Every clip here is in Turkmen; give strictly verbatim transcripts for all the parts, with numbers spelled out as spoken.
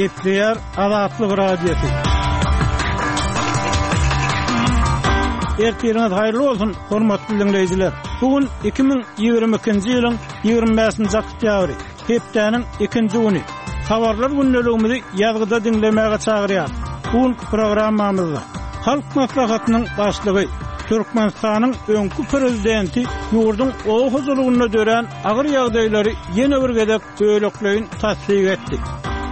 Gepleýär Azatlyk Radiosy. Ertiriňiz haýyrly bolsun, hormatly diňleýjiler. Bu gün iki müň ýigrimi ikinji ýylyň ýigrimi bäşinji oktýabry, hepdäniň ikinji güni. Habarlar gündeligimizi ýazgyda diňlemäge çagyrýar. Bu günki programmamyzda Halk Maslahatynyň Başlygy, Türkmenistanyň öňki Prezidenti ýurduň oba hojalygynda dörän agyr ýagdaýlary ýene bir gezek bölekleýin tassyk etdi.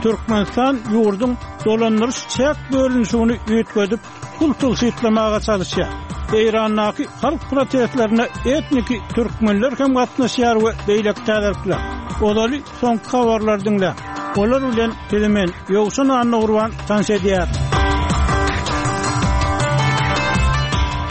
Türkmenistan ýurduň dolandyryş-çäk bölünişigini üýtgedip, pul tygşytlamaga çalyşýar. Eýrandaky halk protestlerine etniki türkmenler hem gatnaşýar we beýleki täzelikler. Ozaly soňky habarlary diňläň. Olar bilen sizi men, Ýowşan Annagurban tanyş edýärin.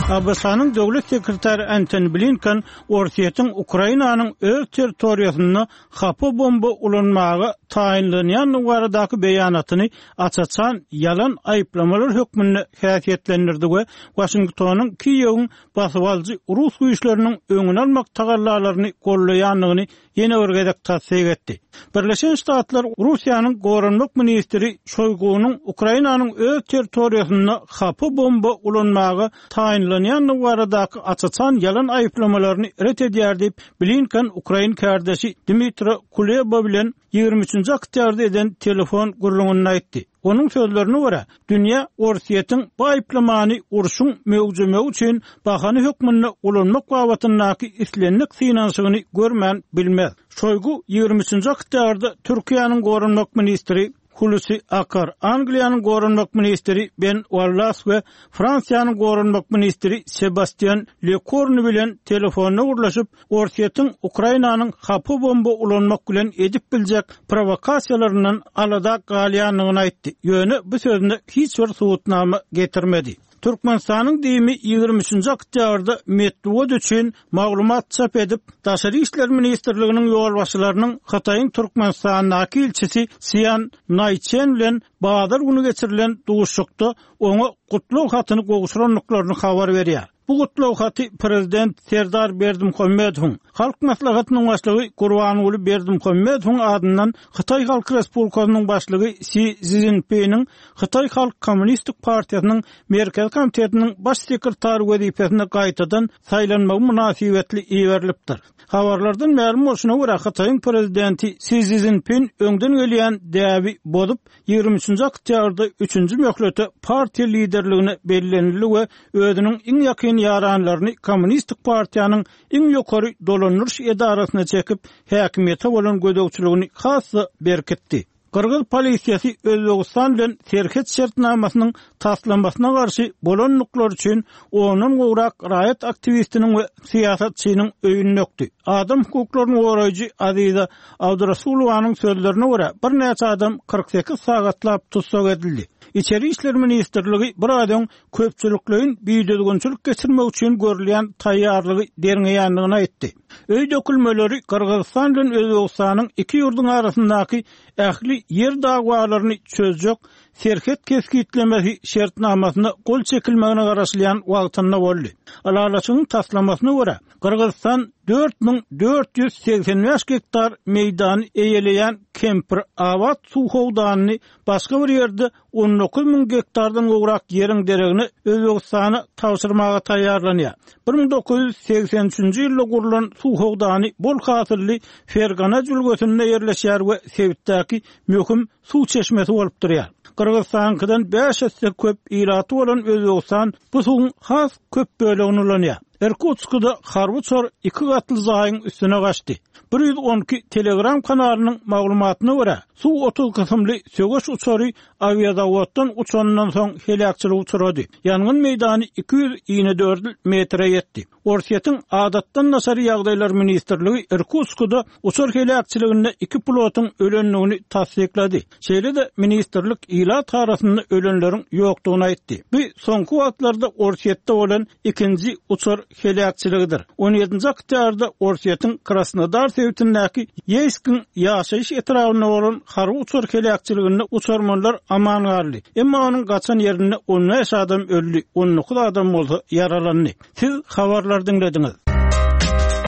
ABŞ-nyň Döwlet sekretary Antony Blinken Orsýetiň Ukrainanyň öz territoriýasynda hapa bomba ulanmaga taýynlanýandygy baradaky beýanatyny aç-açan ýalan aýyplamalar hökmünde häsiýetlendirdi we Waşingtonyň Kiýewiň basybalyjy rus güýçleriniň öňüni almak tagallalaryny gollaýandygyny ýene bir gezek tassyk etdi. Birleşen Ştatlar Russiýanyň goranmak ministri Şoýgunyň Ukrainanyň öz territoriýasynda hapa bomba ulanmaga taýynlanýandygy baradaky aç-açan ýalan aýyplamalaryny ret edýär diýip, Blinken ukrain kärdeşi Dmitro Kuleba bilen ýigrimi üçünji oktýabrda eden telefon gürrüňinde aýtdy. Onuň sözlerine görä, dünýä Orsýetiň bu aýyplamany urşuň möwjemegi üçin bahana hökmünde ulanmak babatyndaky islendik synanyşygyny görmän bilmez. Şoýgu ýigrimi üçünji oktýabrda Türkiýäniň goranmak ministri Hulusi Akar, Angliýanyň goranmak ministri Ben Wallas we Fransiýanyň goranmak ministri Sebastýan Lekornu bilen telefonda gürleşip, Orsýetiň Ukrainanyň hapa bomba ulanmak bilen edip biljek prowokasiýalaryndan alada galýandygyny aýtdy, ýöne bu sözüne hiç bir subutnama getirmedi. Türkmenistanyň DIM-i ýigrimi üçünji oktýabrda metbugat üçin maglumat çap edip, Daşary işler ministrliginiň ýolbaşçylarynyň Hytaýyň Türkmenistandaky ilçisi Sýan Naýçen bilen bazar güni geçirilen duşuşykda oňa gutlag hatyny gowşurandyklaryny habar berýär. Bu gutlag haty prezident Serdar Berdimuhamedowyň, Halk Maslahatynyň Başlygy Gurbanguly Berdimuhamedowyň adyndan Hytaý Halk Respublikasynyň Başlygy Si Szinpiniň Hytaý Halk Kommunistik partiýasynyň Merkezi komitetiniň Baş sekretary wezipesine gaýtadan saýlanmagy mynasybetli iberilipdir. Habarlardan mälim bolşuna görä, Hytaýyň prezidenti Si Szinpin öňden gelýän däbi bozup, ýigrimi üçünji oktýabrda üçünji möhlete partiýa liderligine bellenildi we özüniň iň ýakyn ýaranlaryny Kommunistik partiýanyň iň ýokary dolandyryş edarasyna çekip, häkimiýete bolan gözegçiligini has-da berkitdi. Gyrgyz polisiýasy Özbegistan bilen serhet şertnamasynyň taslamasyna garşy bolandyklary üçin ondan gowrak raýat aktiwistiniň we syýasatçynyň öýüni dökdi. Adam hukuklaryny goraýjy Aziza Abdurasulowanyň sözlerine görä, birnäçe adam kyrk sekiz sagatlap tussag edildi. Içeri işler ministrligi bir aý öň köpçülikleýin bidüzgünçilik geçirmek üçin görülýän taýýarlygy derňeýändigini aýtdy. Öý dökülmeleri Gyrgyzystan bilen Özbegistanyň iki ýurduň arasyndaky ähli ýer dawalaryny çözjek serhet kesgitlemesi şertnamasyna gol çekilmegine garaşylýan wagtynda boldy. Ylalaşygyň taslamasyna görä, Gyrgyzystan dört müň dört ýüz segsen bäş gektar meýdany eýeleýän Kempir-Abat suw howdanyny başga bir ýerde on dokuz müň gektardan gowrak ýeriň deregine Özbegistana tabşyrmaga taýýarlanýar. Bir müň dokuz ýüz segsen üçünji ýylda gurlan suw howdany bol hasylly Fergana jülgesinde ýerleşýär we sebitdäki möhüm suw çeşmesi bolup durýar. Gyrgyzystanyňkydan bäş esse köp ilaty bolan Özbegistan bu suwuň has köp bölegini ulanýar. Irkutskda harby uçar iki gatly jaýyň üstüne gaçdy. Bir ýüz on iki Telegram kanalynyň maglumatyna görä, Su otuz kysymly söweş uçary awiazawoddan uçanyndan soň heläkçilige uçrady. Ýangyn meýdany iki ýüz inedördül metre ýetdi. Orsýetiň Adatdan daşary ýagdaýlar ministrligi Irkutskda uçar heläkçiliginde iki pilotyň ölendigini tassyklady. Şeýle-de ministrlik ilat arasynda ölenleriň ýokdugyny aýtdy. Bu soňky wagtlarda Orsýetde bolan ikinji uçar heläkçiligidir. On ýedinji oktýabrda Orsýetiň Krasnodar sebitindäki Ýeýskiň ýaşaýyş etrabynda bolan harby uçar heläkçiliginde uçarmanlar aman galdy. Emma onuň gaçan ýerinde on bäş adam öldi, on dokuz adam bolsa ýaralandy. Siz habarlary diňlediňiz.